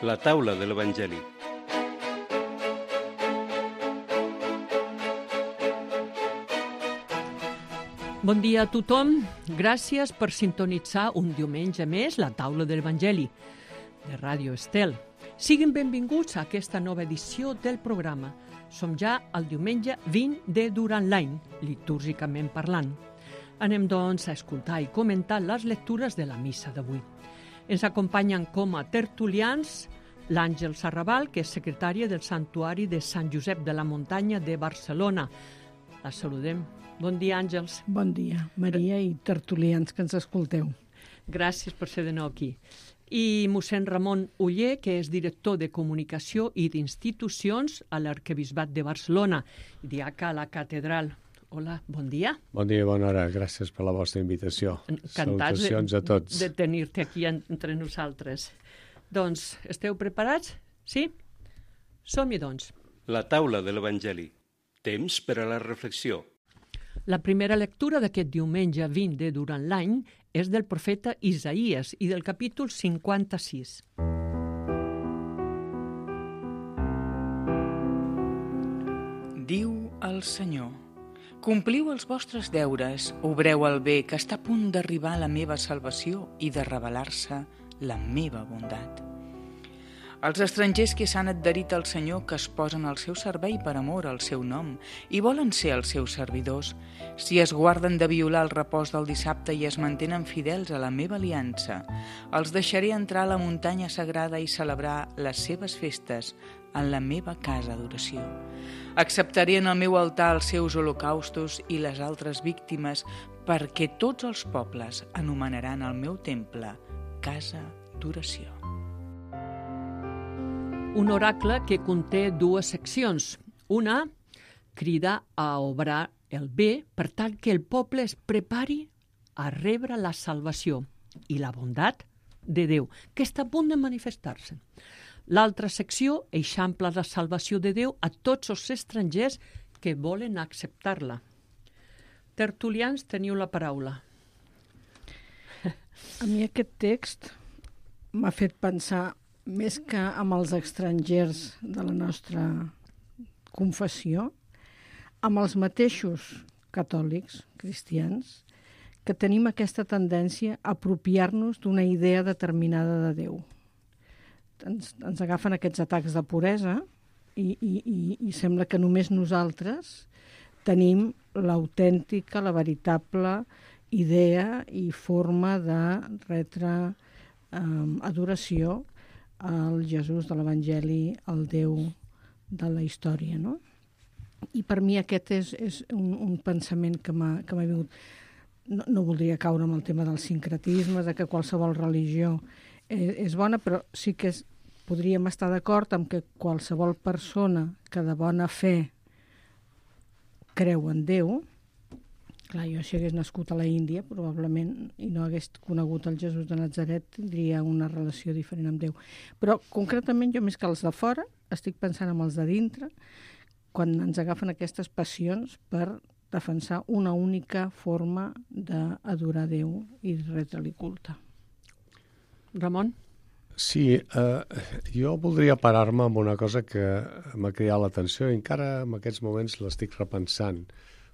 La taula de l'Evangeli. Bon dia a tothom. Gràcies per sintonitzar un diumenge més la taula de l'Evangeli de Ràdio Estel. Siguin benvinguts a aquesta nova edició del programa. Som ja al diumenge 20 de durant l'any, litúrgicament parlant. Anem, doncs, a escoltar i comentar les lectures de la missa d'avui. Ens acompanyen com a tertulians l'Àngel Sarrabal, que és secretària del Santuari de Sant Josep de la Muntanya de Barcelona. La saludem. Bon dia, Àngels. Bon dia, Maria i tertulians que ens escolteu. Gràcies per ser de nou aquí. I mossèn Ramon Oller, que és director de Comunicació i d'Institucions a l'Arquebisbat de Barcelona, i diaca a la catedral. Hola, bon dia. Bon dia i bona hora. Gràcies per la vostra invitació. Encantats Salutacions a tots. de tenir-te aquí entre nosaltres. Doncs, esteu preparats? Sí? Som-hi, doncs. La taula de l'Evangeli. Temps per a la reflexió. La primera lectura d'aquest diumenge 20 de durant l'any és del profeta Isaïes i del capítol 56. Diu el Senyor: compliu els vostres deures, obreu el bé, que està a punt d'arribar la meva salvació i de revelar-se la meva bondat. Els estrangers que s'han adherit al Senyor, que es posen al seu servei per amor al seu nom i volen ser els seus servidors, si es guarden de violar el repòs del dissabte i es mantenen fidels a la meva aliança, els deixaré entrar a la muntanya sagrada i celebrar les seves festes en la meva casa d'oració. Acceptaré en el meu altar els seus holocaustos i les altres víctimes, perquè tots els pobles anomenaran el meu temple casa d'oració. Un oracle que conté dues seccions. Una, crida a obrar el bé per tal que el poble es prepari a rebre la salvació i la bondat de Déu, que està a punt de manifestar-se. L'altra secció eixampla la salvació de Déu a tots els estrangers que volen acceptar-la. Tertulians, teniu la paraula. A mi aquest text m'ha fet pensar, més que amb els estrangers de la nostra confessió, amb els mateixos catòlics, cristians, que tenim aquesta tendència a apropiar-nos d'una idea determinada de Déu. Ens agafen aquests atacs de puresa i sembla que només nosaltres tenim l'autèntica, la veritable idea i forma de retre adoració al Jesús de l'Evangeli, al Déu de la història, no? I per mi aquest és un pensament que m'ha vingut. No voldria caure en el tema del sincretisme, de que qualsevol religió és bona, però sí que podríem estar d'acord amb que qualsevol persona que de bona fe creu en Déu, clar, jo si hagués nascut a la Índia, probablement, i no hagués conegut el Jesús de Natzaret, tindria una relació diferent amb Déu. Però, concretament, jo més que els de fora, estic pensant en els de dintre, quan ens agafen aquestes passions per defensar una única forma d'adorar Déu i retre-li culte. Ramon? Sí, jo voldria parar-me amb una cosa que m'ha cridat l'atenció i encara en aquests moments l'estic repensant,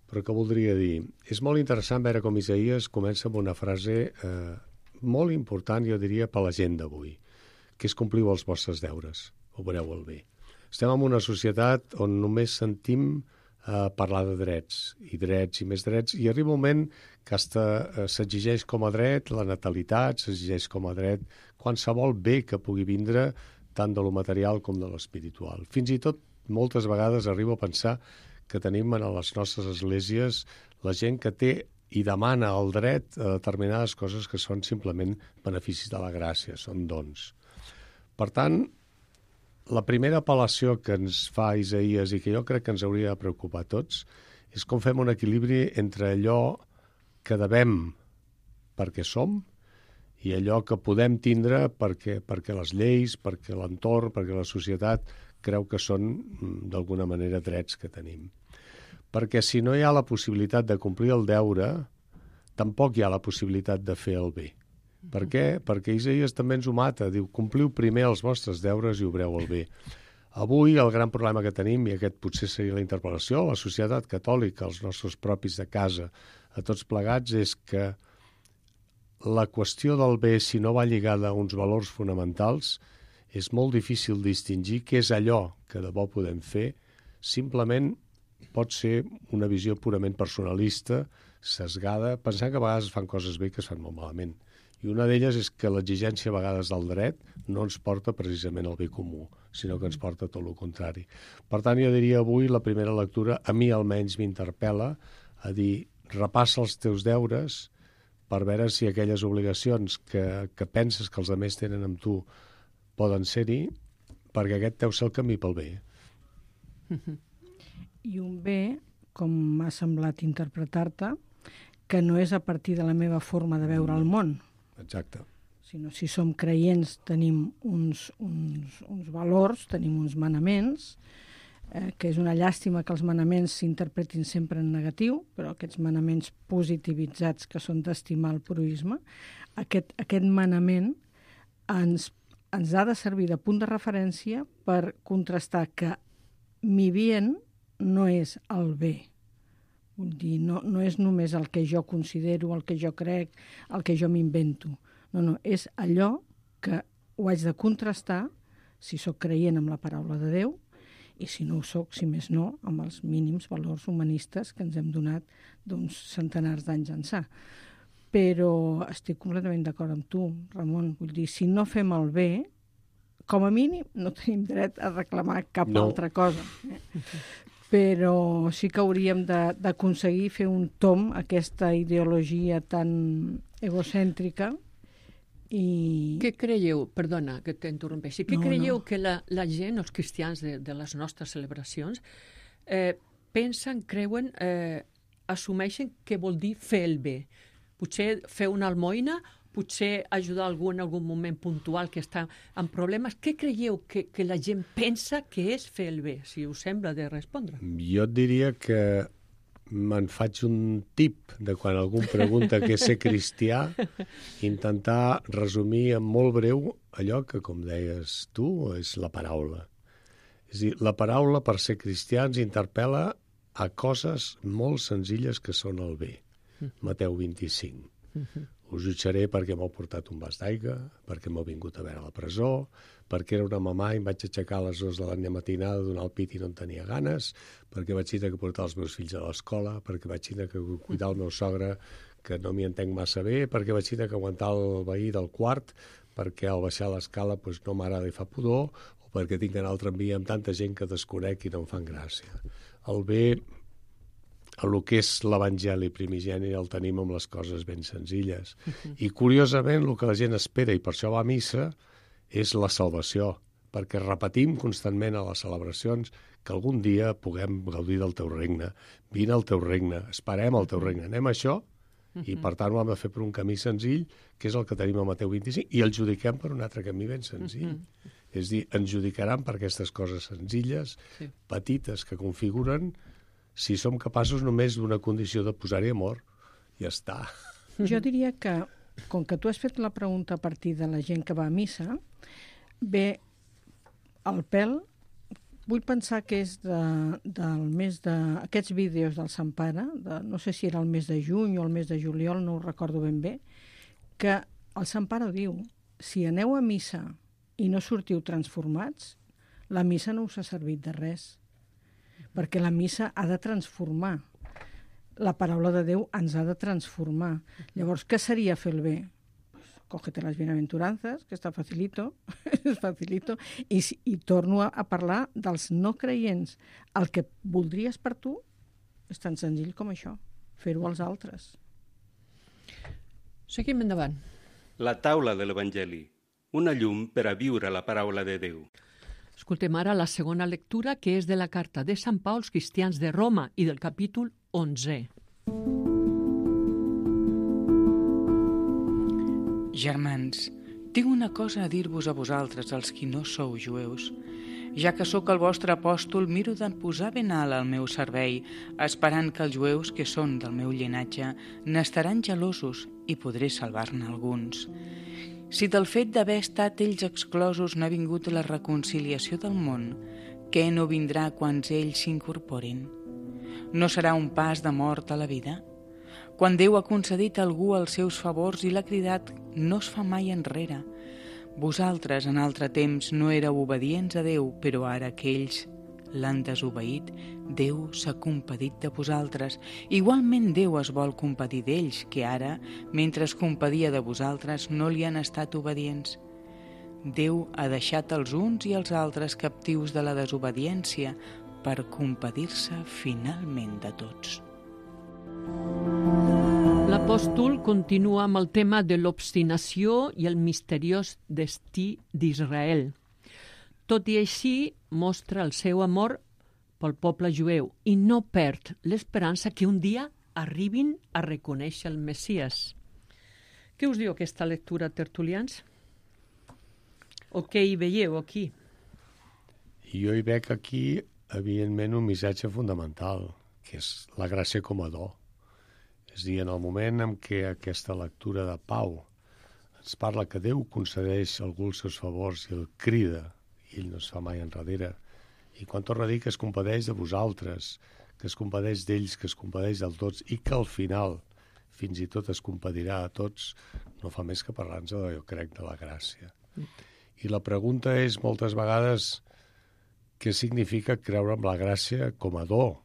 però que voldria dir? És molt interessant veure com Isaïes comença amb una frase molt important, jo diria, per la gent d'avui, que és compliu els vostres deures, obreu el bé. Estem en una societat on només sentim parlar de drets i més drets, i arriba un moment que s'exigeix com a dret la natalitat, s'exigeix com a dret qualsevol bé que pugui vindre tant de lo material com de l'espiritual. Fins i tot, moltes vegades arribo a pensar que tenim a les nostres esglésies la gent que té i demana el dret a determinades coses que són simplement beneficis de la gràcia, són dons. Per tant, la primera apel·lació que ens fa Isaïes i que jo crec que ens hauria de preocupar a tots és com fem un equilibri entre allò que devem perquè som i allò que podem tindre perquè les lleis, perquè l'entorn, perquè la societat creu que són d'alguna manera drets que tenim. Perquè si no hi ha la possibilitat de complir el deure, tampoc hi ha la possibilitat de fer el bé. Per què? Perquè Isaïes també ens ho mata. Diu, compliu primer els vostres deures i obreu el bé. Avui el gran problema que tenim, i aquest potser seria la interpel·lació, la societat catòlica, els nostres propis de casa, a tots plegats, és que la qüestió del bé, si no va lligada a uns valors fonamentals, és molt difícil distingir què és allò que de bo podem fer. Simplement pot ser una visió purament personalista, sesgada, pensant que a vegades es fan coses bé que es fan molt malament. I una d'elles és que l'exigència a vegades del dret no ens porta precisament al bé comú, sinó que ens porta tot el contrari. Per tant, jo diria avui la primera lectura, a mi almenys m'interpel·la a dir, repassa els teus deures per veure si aquelles obligacions que penses que els altres tenen amb tu poden ser-hi, perquè aquest deu ser el camí pel bé. I un bé, com m'ha semblat interpretar-te, que no és a partir de la meva forma de veure el món. Exacte. Sinó si som creients tenim uns valors, tenim uns manaments, que és una llàstima que els manaments s'interpretin sempre en negatiu, però aquests manaments positivitzats que són d'estimar el proisme, aquest manament ens ha de servir de punt de referència per contrastar que mi bien no és el bé. Vull dir, no és només el que jo considero, el que jo crec, el que jo m'invento. No, és allò que ho haig de contrastar si sóc creient amb la paraula de Déu i si no ho sóc, si més no, amb els mínims valors humanistes que ens hem donat d'uns centenars d'anys ençà. Però estic completament d'acord amb tu, Ramon. Vull dir, si no fem el bé, com a mínim no tenim dret a reclamar cap altra cosa. Però sí que hauríem d'aconseguir fer un tomb a aquesta ideologia tan egocèntrica. I... Què creieu, perdona que t'interrompeixi, què creieu que la gent, els cristians de les nostres celebracions, pensen, creuen, assumeixen que vol dir fer el bé? Potser fer una almoina, potser ajudar algú en algun moment puntual que està amb problemes. Què creieu que la gent pensa que és fer el bé, si us sembla de respondre? Jo et diria que me'n faig un tip de quan algú em pregunta què és ser cristià, intentar resumir en molt breu allò que, com deies tu, és la paraula. És a dir, la paraula per ser cristià ens interpel·la a coses molt senzilles que són el bé. Mateu 25. Us jutjaré perquè m'heu portat un vas d'aigua, perquè m'heu vingut a veure a la presó, perquè era una mamà i em vaig aixecar a les 2 de la matinada a donar el pit i no en tenia ganes, perquè vaig tenir que portar els meus fills a l'escola, perquè vaig tenir que cuidar el meu sogre, que no m'hi entenc massa bé, perquè vaig tenir que aguantar el veí del quart, perquè al baixar l'escala no m'agrada i fa pudor, o perquè tinc que anar al tramvia amb tanta gent que desconec i no em fan gràcia. El bé, el que és l'evangeli primigeni, el tenim amb les coses ben senzilles. I, curiosament, el que la gent espera, i per això va a missa, és la salvació, perquè repetim constantment a les celebracions que algun dia puguem gaudir del teu regne. Vine al teu regne, esperem al teu regne. Anem a això, i per tant ho hem de fer per un camí senzill, que és el que tenim a Mateu 25, i el judiquem per un altre camí ben senzill. És a dir, ens judicaran per aquestes coses senzilles, petites, que configuren, si som capaços només d'una condició de posar-hi amor, ja està. Jo diria que, com que tu has fet la pregunta a partir de la gent que va a missa, ve al pèl, vull pensar que és del mes de... Aquests vídeos del Sant Pare, no sé si era el mes de juny o el mes de juliol, no ho recordo ben bé, que el Sant Pare diu, si aneu a missa i no sortiu transformats, la missa no us ha servit de res, perquè la missa ha de transformar. La paraula de Déu ens ha de transformar. Llavors, què seria fer el bé? Pues, cógete las bienaventuranzas, que està facilito, és facilito, i torno a parlar dels no creients. El que voldries per tu és tan senzill com això, fer-ho als altres. Seguim endavant. La taula de l'Evangeli, una llum per a viure la paraula de Déu. Escoltem ara la segona lectura, que és de la carta de Sant Pau als cristians de Roma i del capítol 11. Germans, tinc una cosa a dir-vos a vosaltres, els qui no sou jueus. Ja que sóc el vostre apòstol, miro de posar ben alt al meu servei, esperant que els jueus que són del meu llinatge n'estaran gelosos i podré salvar-ne alguns. Si del fet d'haver estat ells exclosos n'ha vingut la reconciliació del món, què no vindrà quan ells s'incorporin? No serà un pas de mort a la vida? Quan Déu ha concedit a algú els seus favors i l'ha cridat, no es fa mai enrere. Vosaltres en altre temps no éreu obedients a Déu, però ara que ells l'han desobeït, Déu s'ha compadit de vosaltres. Igualment Déu es vol compadir d'ells, que ara, mentre es compadia de vosaltres, no li han estat obedients. Déu ha deixat els uns i els altres captius de la desobediència per compadir-se finalment de tots. L'apòstol continua amb el tema de l'obstinació i el misteriós destí d'Israel. Tot i així, mostra el seu amor pel poble jueu i no perd l'esperança que un dia arribin a reconèixer el Messies. Què us diu aquesta lectura, tertulians? O què hi veieu aquí? Jo hi veig aquí, evidentment, un missatge fundamental, que és la gràcia com a do. És a dir, en el moment en què aquesta lectura de Pau ens parla que Déu concedeix a algú els seus favors i el crida, i ell no es fa mai enrere, i quan torna a dir que es compadeix de vosaltres, que es compadeix d'ells, que es compadeix del tots, i que al final fins i tot es compadirà a tots, no fa més que parlar-nos, jo crec, de la gràcia. I la pregunta és, moltes vegades, què significa creure en la gràcia com a do?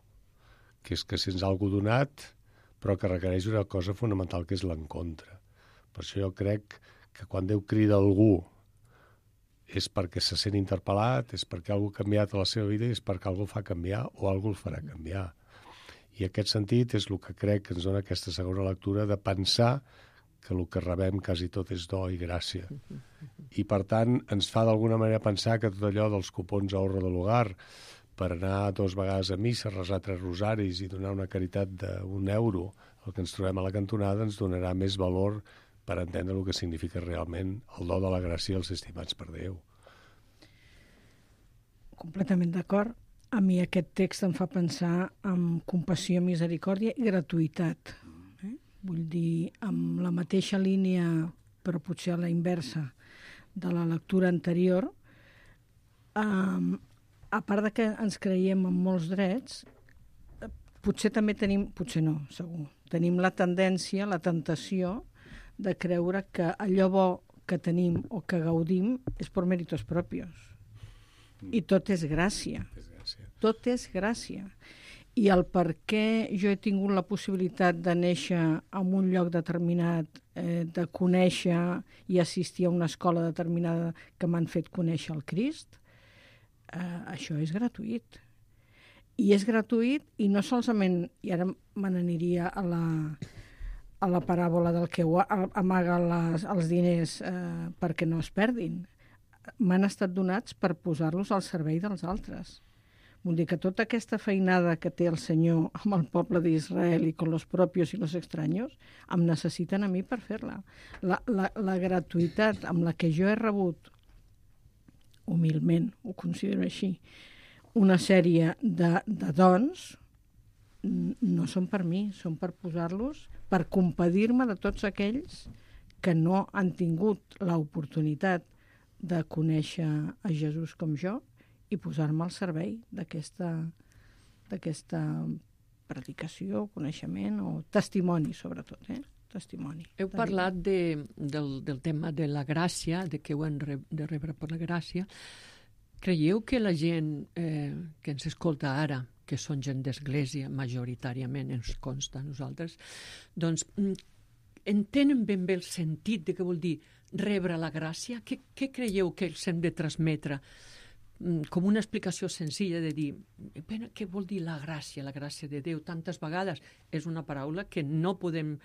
Que és que se'ns ha algú donat, però que requereix una cosa fonamental, que és l'encontre. Per això jo crec que quan Déu crida algú és perquè se sent interpel·lat, és perquè algú ha canviat a la seva vida i és perquè algú el fa canviar o algú el farà canviar. I aquest sentit és el que crec que ens dona aquesta segona lectura, de pensar que el que rebem quasi tot és do i gràcia. I, per tant, ens fa d'alguna manera pensar que tot allò dels cupons a Horra de l'Hogar, per anar 2 vegades a missa, resar 3 rosaris i donar una caritat d'1 euro, el que ens trobem a la cantonada ens donarà més valor per entendre el que significa realment el do de la gràcia als estimats per Déu. Completament d'acord. A mi aquest text em fa pensar en compassió, misericòrdia i gratuïtat. Vull dir, amb la mateixa línia, però potser a la inversa, de la lectura anterior, a part de que ens creiem en molts drets, potser també tenim, potser no, segur, tenim la tendència, la tentació de creure que allò bo que tenim o que gaudim és per méritos propios. I tot és gràcia. Tot és gràcia. I el per què jo he tingut la possibilitat de néixer en un lloc determinat, de conèixer i assistir a una escola determinada que m'han fet conèixer el Crist, això és gratuït. I és gratuït i no solament, i ara me n'aniria a la paràbola del que amaga els diners perquè no es perdin. M'han estat donats per posar-los al servei dels altres. Vull dir que tota aquesta feinada que té el Senyor amb el poble d'Israel i con los propios i los extraños, em necessiten a mi per fer-la. La gratuïtat amb la que jo he rebut, humilment, ho considero així, una sèrie de dons, no són per mi, són per posar-los, per compadir-me de tots aquells que no han tingut l'oportunitat de conèixer a Jesús com jo i posar-me al servei d'aquesta predicació, coneixement o testimoni, sobretot, testimoni. Heu parlat del tema de la gràcia, de què ho hem de rebre per la gràcia. Creieu que la gent que ens escolta ara, que són gent d'església, majoritàriament ens consta a nosaltres, doncs entenen ben bé el sentit de què vol dir rebre la gràcia? Què creieu que els hem de transmetre? Com una explicació senzilla de dir què vol dir la gràcia de Déu? Tantes vegades és una paraula que no podem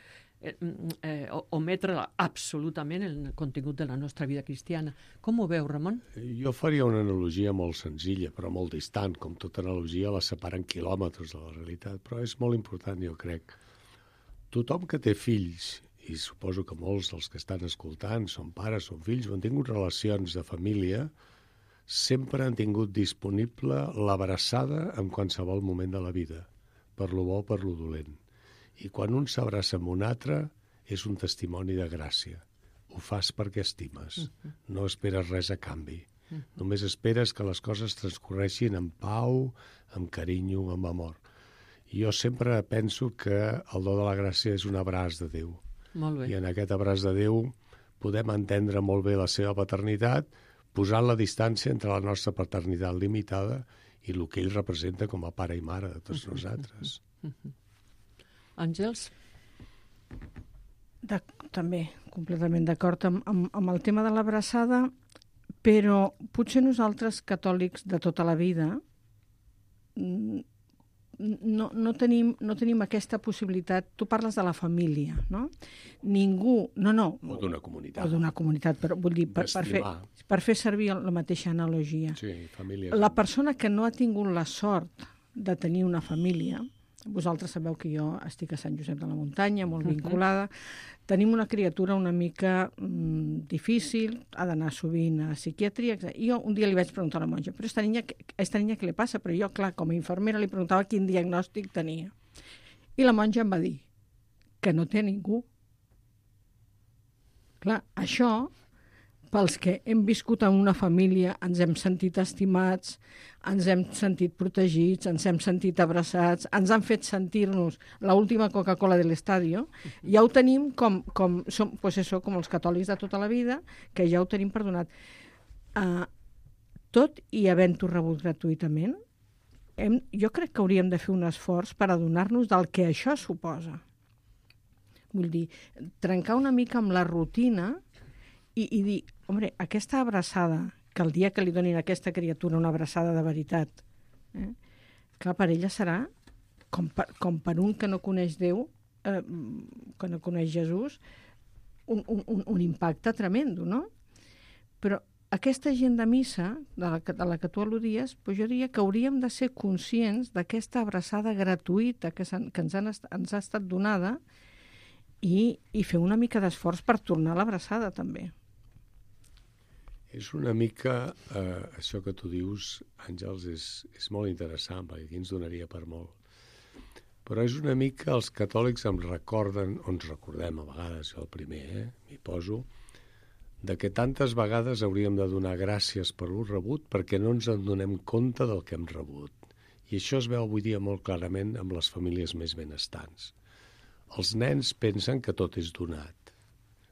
ometre absolutament en el contingut de la nostra vida cristiana. Com ho veu, Ramon? Jo faria una analogia molt senzilla, però molt distant. Com tota analogia, la separen quilòmetres de la realitat, però és molt important, jo crec. Tothom que té fills, i suposo que molts dels que estan escoltant són pares, són fills, o han tingut relacions de família, sempre han tingut disponible l'abraçada en qualsevol moment de la vida, per lo bo o per lo dolent. I quan un s'abraça amb un altre, és un testimoni de gràcia. Ho fas perquè estimes. No esperes res a canvi. Només esperes que les coses transcorreixin amb pau, amb carinyo, amb amor. I jo sempre penso que el do de la gràcia és un abraç de Déu. Molt bé. I en aquest abraç de Déu podem entendre molt bé la seva paternitat, posant la distància entre la nostra paternitat limitada i el que ell representa com a pare i mare de tots nosaltres. Àngels? També, completament d'acord amb el tema de l'abraçada, però potser nosaltres, catòlics de tota la vida, no tenim aquesta possibilitat. Tu parles de la família, no? Ningú... No. O d'una comunitat. O d'una comunitat, però vull dir, per fer servir la mateixa analogia. Sí, família. La persona que no ha tingut la sort de tenir una família, vosaltres sabeu que jo estic a Sant Josep de la Muntanya, molt vinculada, tenim una criatura una mica difícil, ha d'anar sovint a psiquiatria. I jo un dia li vaig preguntar a la monja, però esta niña què li passa? Però jo, clar, com a infermera li preguntava quin diagnòstic tenia. I la monja em va dir que no té ningú. Clar, això, pels que hem viscut en una família, ens hem sentit estimats, ens hem sentit protegits, ens hem sentit abraçats, ens han fet sentir-nos l'última Coca-Cola de l'estadio, ja ho tenim com els catòlics de tota la vida, que ja ho tenim perdonat. Tot i havent-ho rebut gratuïtament, jo crec que hauríem de fer un esforç per adonar-nos del que això suposa. Vull dir, trencar una mica amb la rutina i dir, home, aquesta abraçada, que el dia que li donin a aquesta criatura una abraçada de veritat, clar, per ella serà, com per un que no coneix Déu, que no coneix Jesús, un impacte tremendo, no? Però aquesta gent de missa, de la que tu al·ludies, jo diria que hauríem de ser conscients d'aquesta abraçada gratuïta que ens ha estat donada i fer una mica d'esforç per tornar a l'abraçada, també. És una mica, això que tu dius, Àngels, és molt interessant, perquè aquí ens donaria per molt. Però és una mica, els catòlics ens recordem a vegades, jo el primer, m'hi poso, de que tantes vegades hauríem de donar gràcies per lo rebut perquè no ens en donem compte del que hem rebut. I això es veu avui dia molt clarament amb les famílies més benestants. Els nens pensen que tot és donat.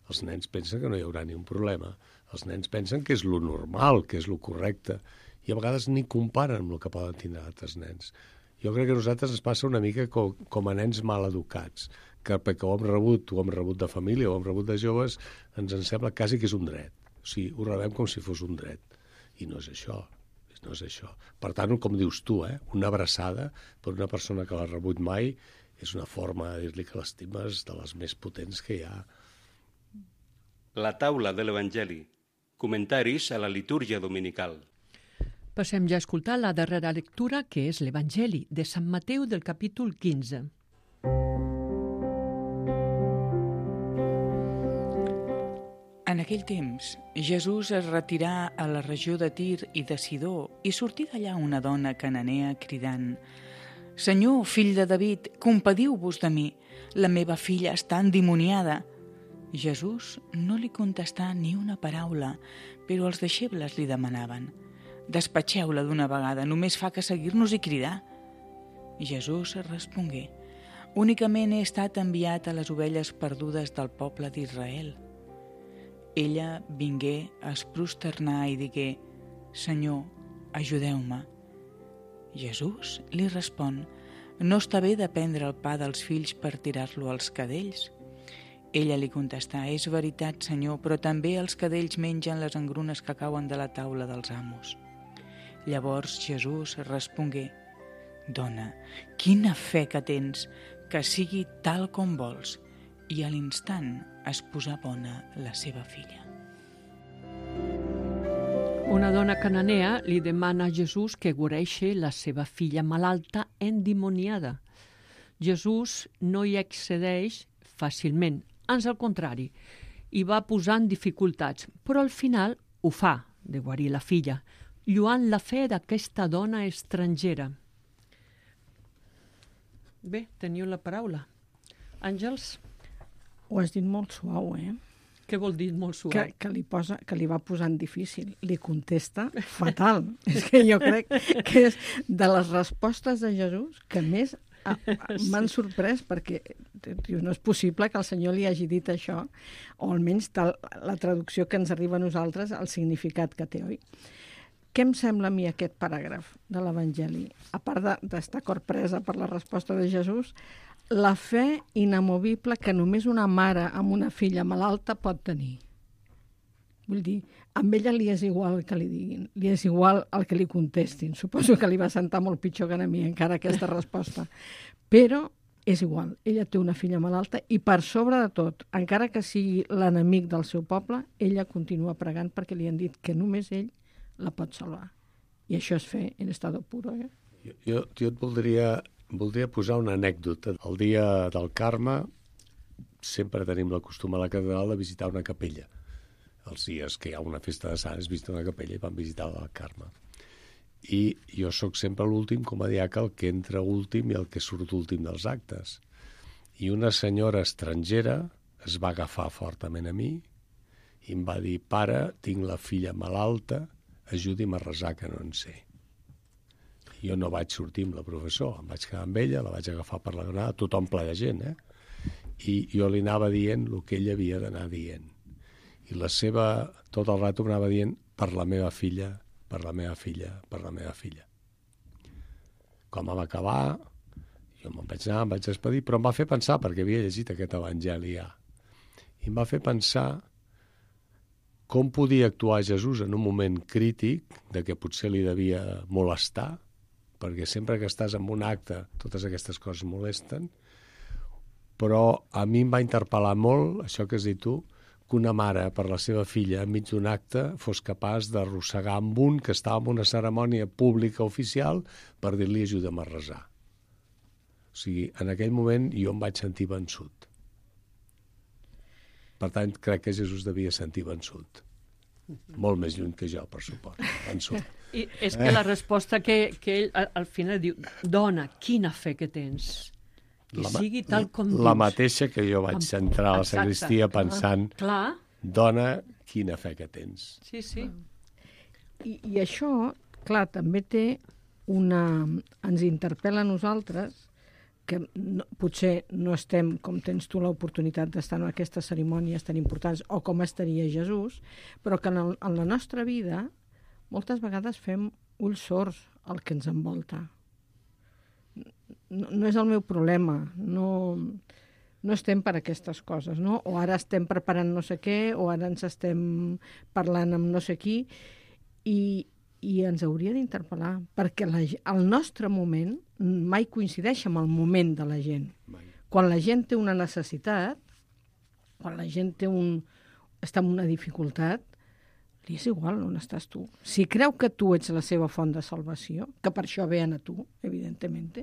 Els nens pensen que no hi haurà ni un problema. Els nens pensen que és lo normal, que és lo correcte, i a vegades ni comparen amb el que poden tindre altres nens. Jo crec que a nosaltres ens passa una mica com a nens mal educats, que perquè ho hem rebut de família, ho hem rebut de joves, ens sembla quasi que és un dret. O sigui, ho rebem com si fos un dret. I no és això. No és això. Per tant, com dius tu, una abraçada per una persona que l'ha rebut mai és una forma de dir-li que l'estimes de les més potents que hi ha. La taula de l'Evangeli. Comentaris a la litúrgia dominical. Passem ja a escoltar la darrera lectura, que és l'Evangeli de Sant Mateu del capítol 15. En aquell temps, Jesús es retirà a la regió de Tir i de Sidó i sortí d'allà una dona cananea cridant: «Senyor, fill de David, compadiu-vos de mi, la meva filla està endimoniada». Jesús no li contestà ni una paraula, però els deixebles li demanaven: «Despatxeu-la d'una vegada, només fa que seguir-nos i cridar». Jesús respongué: «Únicament he estat enviat a les ovelles perdudes del poble d'Israel». Ella vingué a es prosternar i digué: «Senyor, ajudeu-me». Jesús li respon: «No està bé de prendre el pa dels fills per tirar-lo als cadells». Ella li contestà: «És veritat, Senyor, però també els cadells mengen les engrunes que cauen de la taula dels amos». Llavors Jesús respongué: «Dona, quina fe que tens, que sigui tal com vols». I a l'instant es posà bona la seva filla. Una dona cananea li demana a Jesús que guareixi la seva filla malalta endimoniada. Jesús no hi accedeix fàcilment, ans al contrari, i va posant dificultats, però al final ho fa, de guarir la filla, lluant la fe d'aquesta dona estrangera. Bé, teniu la paraula. Àngels, Ho has dit molt suau, eh? què vol dir molt suau? Que li va posant difícil. Li contesta fatal. És que jo crec que és de les respostes de Jesús que més m'han sorprès, perquè no és possible que el Senyor li hagi dit això, o almenys la traducció que ens arriba a nosaltres, el significat que té, oi? Què em sembla a mi aquest paràgraf de l'Evangeli? A part d'estar corpresa per la resposta de Jesús, la fe inamovible que només una mare amb una filla malalta pot tenir. Vull dir, amb ella li és igual el que li diguin, li és igual el que li contestin. Suposo que li va sentar molt pitjor que a mi encara aquesta resposta. Però és igual, ella té una filla malalta i per sobre de tot, encara que sigui l'enemic del seu poble, ella continua pregant perquè li han dit que només ell la pot salvar. I això és fe en estado puro, eh? Jo et voldria posar una anècdota. El dia del Carme sempre tenim la costum a la catedral de visitar una capella. Els dies que hi ha una festa de Sants visita una capella i van visitar el Carme. I jo sóc sempre l'últim com a diaca, el que entra últim i el que surt últim dels actes. I una senyora estrangera es va agafar fortament a mi i em va dir: pare, tinc la filla malalta, ajudi'm a resar que no en sé. Jo no vaig sortir amb la professor, em vaig quedar amb ella, la vaig agafar per la granada, tothom ple de gent, I jo li anava dient el que ella havia d'anar dient. I la seva, tot el rato m'anava dient: per la meva filla, per la meva filla, per la meva filla. Quan vam acabar, jo me'n vaig anar, em vaig despedir, però em va fer pensar, perquè havia llegit aquest evangeli ja, i em va fer pensar com podia actuar Jesús en un moment crític de que potser li devia molestar, perquè sempre que estàs en un acte totes aquestes coses molesten, però a mi em va interpel·lar molt, això que has dit tu, que una mare per la seva filla enmig d'un acte fos capaç d'arrossegar amb un que estava en una cerimònia pública oficial per dir-li ajuda'm a resar. O sigui, en aquell moment jo em vaig sentir vençut. Per tant, crec que Jesús devia sentir vençut. Molt més lluny que jo, per suport. Vençut. I és que la resposta que ell al final diu: dona, quina fe que tens. Que sigui tal com dius. La mateixa que jo vaig entrar a la sagristia pensant: clar. Dona, quina fe que tens. Sí, sí. I això, clar, també té ens interpel·la a nosaltres, que potser no estem, com tens tu l'oportunitat d'estar en aquestes cerimònies tan importants, o com estaria Jesús, però que en la nostra vida moltes vegades fem ulls sords al que ens envolta. No és el meu problema, no estem per aquestes coses, no? O ara estem preparant no sé què, o ara ens estem parlant amb no sé qui, i ens hauria d'interpel·lar, perquè el nostre moment mai coincideix amb el moment de la gent. Mai. Quan la gent té una necessitat, quan la gent està en una dificultat, li és igual on estàs tu. Si creu que tu ets la seva font de salvació, que per això vean a tu, evidentment,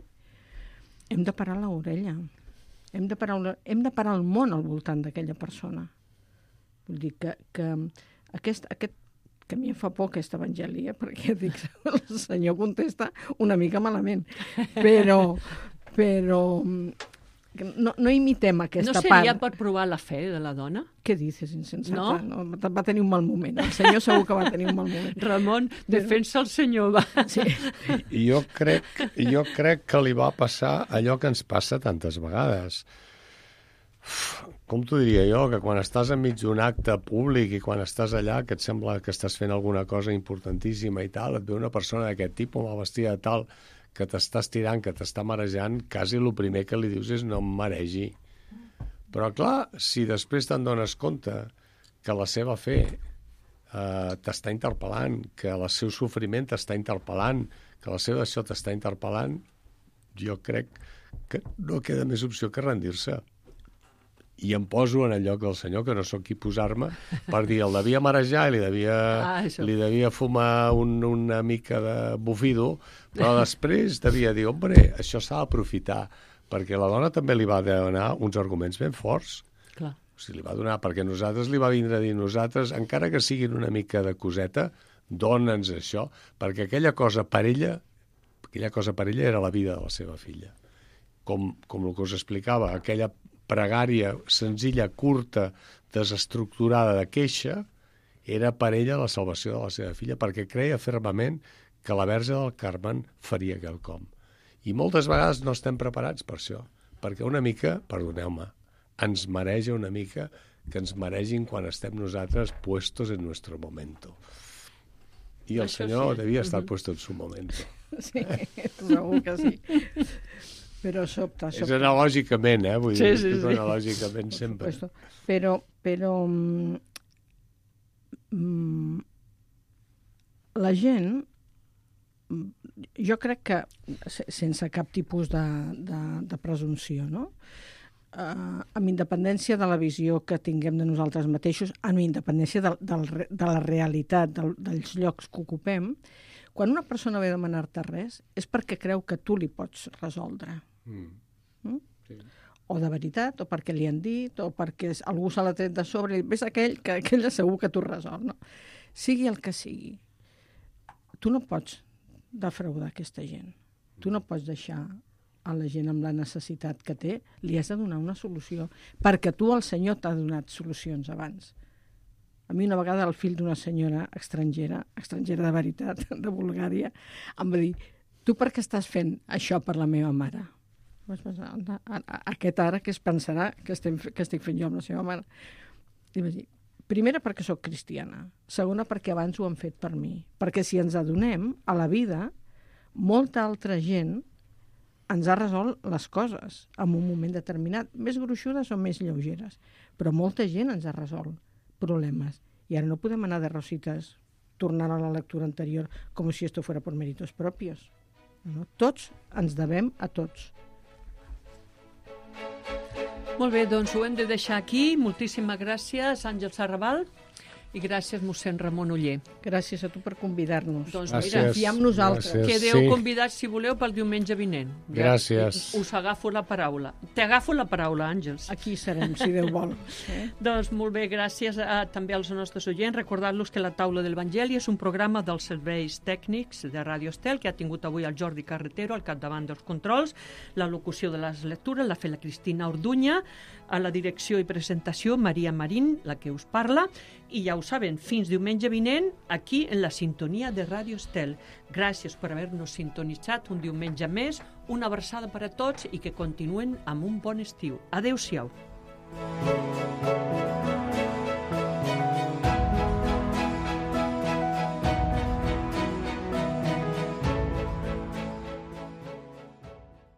hem de parar l'orella. Hem de parar el món al voltant d'aquella persona. Vull dir que aquest que a mi em fa por aquest evangeli, perquè dic, el Senyor contesta una mica malament. Però no imitem aquesta part. No seria per provar la fe de la dona? Què dices, insensata? No? Va tenir un mal moment. El Senyor segur que va tenir un mal moment. Ramon, defensa el Senyor, va. Sí. Jo crec que li va passar allò que ens passa tantes vegades. Com t'ho diria jo? Que quan estàs enmig d'un acte públic i quan estàs allà, que et sembla que estàs fent alguna cosa importantíssima i tal, et ve una persona d'aquest tipus, mal vestida de tal, que t'està estirant, que t'està marejant, quasi el primer que li dius és no em maregi. Però clar, si després te'n dones compte que la seva fe t'està interpel·lant, que el seu sofriment t'està interpel·lant, que la seva això t'està interpel·lant, jo crec que no queda més opció que rendir-se. I em poso en el lloc del Senyor, que no sóc qui posar-me, per dir, el devia marejar i li devia fumar una mica de bufido, però després devia dir, hombre, això s'ha d'aprofitar, perquè la dona també li va donar uns arguments ben forts. Clar. O sigui, li va donar, perquè nosaltres li va vindre a dir, nosaltres, encara que siguin una mica de coseta, dona'ns això, perquè aquella cosa per ella era la vida de la seva filla. Com el que us explicava, aquella pregària senzilla, curta, desestructurada de queixa, era per ella la salvació de la seva filla, perquè creia fermament que la Verge del Carmen faria quelcom. I moltes vegades no estem preparats per això, perquè una mica, perdoneu-me, ens mareja una mica que ens maregin quan estem nosaltres puestos en nuestro momento. I el Senyor devia estar puesto en su momento. Sí, segur que sí. Però sobta. És analògicament, vull dir, és analògicament sempre. Però la gent, jo crec que, sense cap tipus de presumpció, no? Amb independència de la visió que tinguem de nosaltres mateixos, amb independència de la realitat, dels llocs que ocupem, quan una persona ve a demanar-te res és perquè creu que tu li pots resoldre. Sí. O de veritat, o perquè li han dit, o perquè algú se l'ha tret de sobre i ves aquell que aquell segur que t'ho resol. No? Sigui el que sigui. Tu no pots defraudar aquesta gent. Tu no pots deixar a la gent amb la necessitat que té, li has de donar una solució, perquè tu, el Senyor, t'ha donat solucions abans. A mi una vegada el fill d'una senyora estrangera de veritat, de Bulgària, em va dir, tu per què estàs fent això per la meva mare? Vaig pensar, aquest ara què es pensarà que estic fent jo amb la seva mare? I vaig dir, primera perquè sóc cristiana, segona perquè abans ho han fet per mi, perquè si ens adonem, a la vida, molta altra gent ens ha resolt les coses en un moment determinat, més gruixudes o més lleugeres, però molta gent ens ha resolt problemes. I ara no podem anar de rosites, tornar a la lectura anterior com si esto fuera por méritos propios. No? Tots ens devem a tots. Molt bé, doncs ho hem de deixar aquí. Moltíssimes gràcies, Àngels Arrabal, i gràcies, mossèn Ramon Oller. Gràcies a tu per convidar-nos. Doncs mira, confia en nosaltres. Gràcies. Quedeu convidats, si voleu, pel diumenge vinent. Gràcies. Us agafo la paraula. T'agafo la paraula, Àngels. Aquí serem, si Déu vol. Doncs molt bé, gràcies també als nostres oients. Recordar-los que la Taula de l'Evangeli és un programa dels serveis tècnics de Ràdio Estel que ha tingut avui el Jordi Carretero al capdavant dels controls, la locució de les lectures l'ha fet la Cristina Orduña, a la direcció i presentació Maria Marín, la que us parla, i ja ho saben, fins diumenge vinent, aquí en la sintonia de Ràdio Estel. Gràcies per haver-nos sintonitzat un diumenge més, una abraçada per a tots i que continuen amb un bon estiu. Adéu-siau.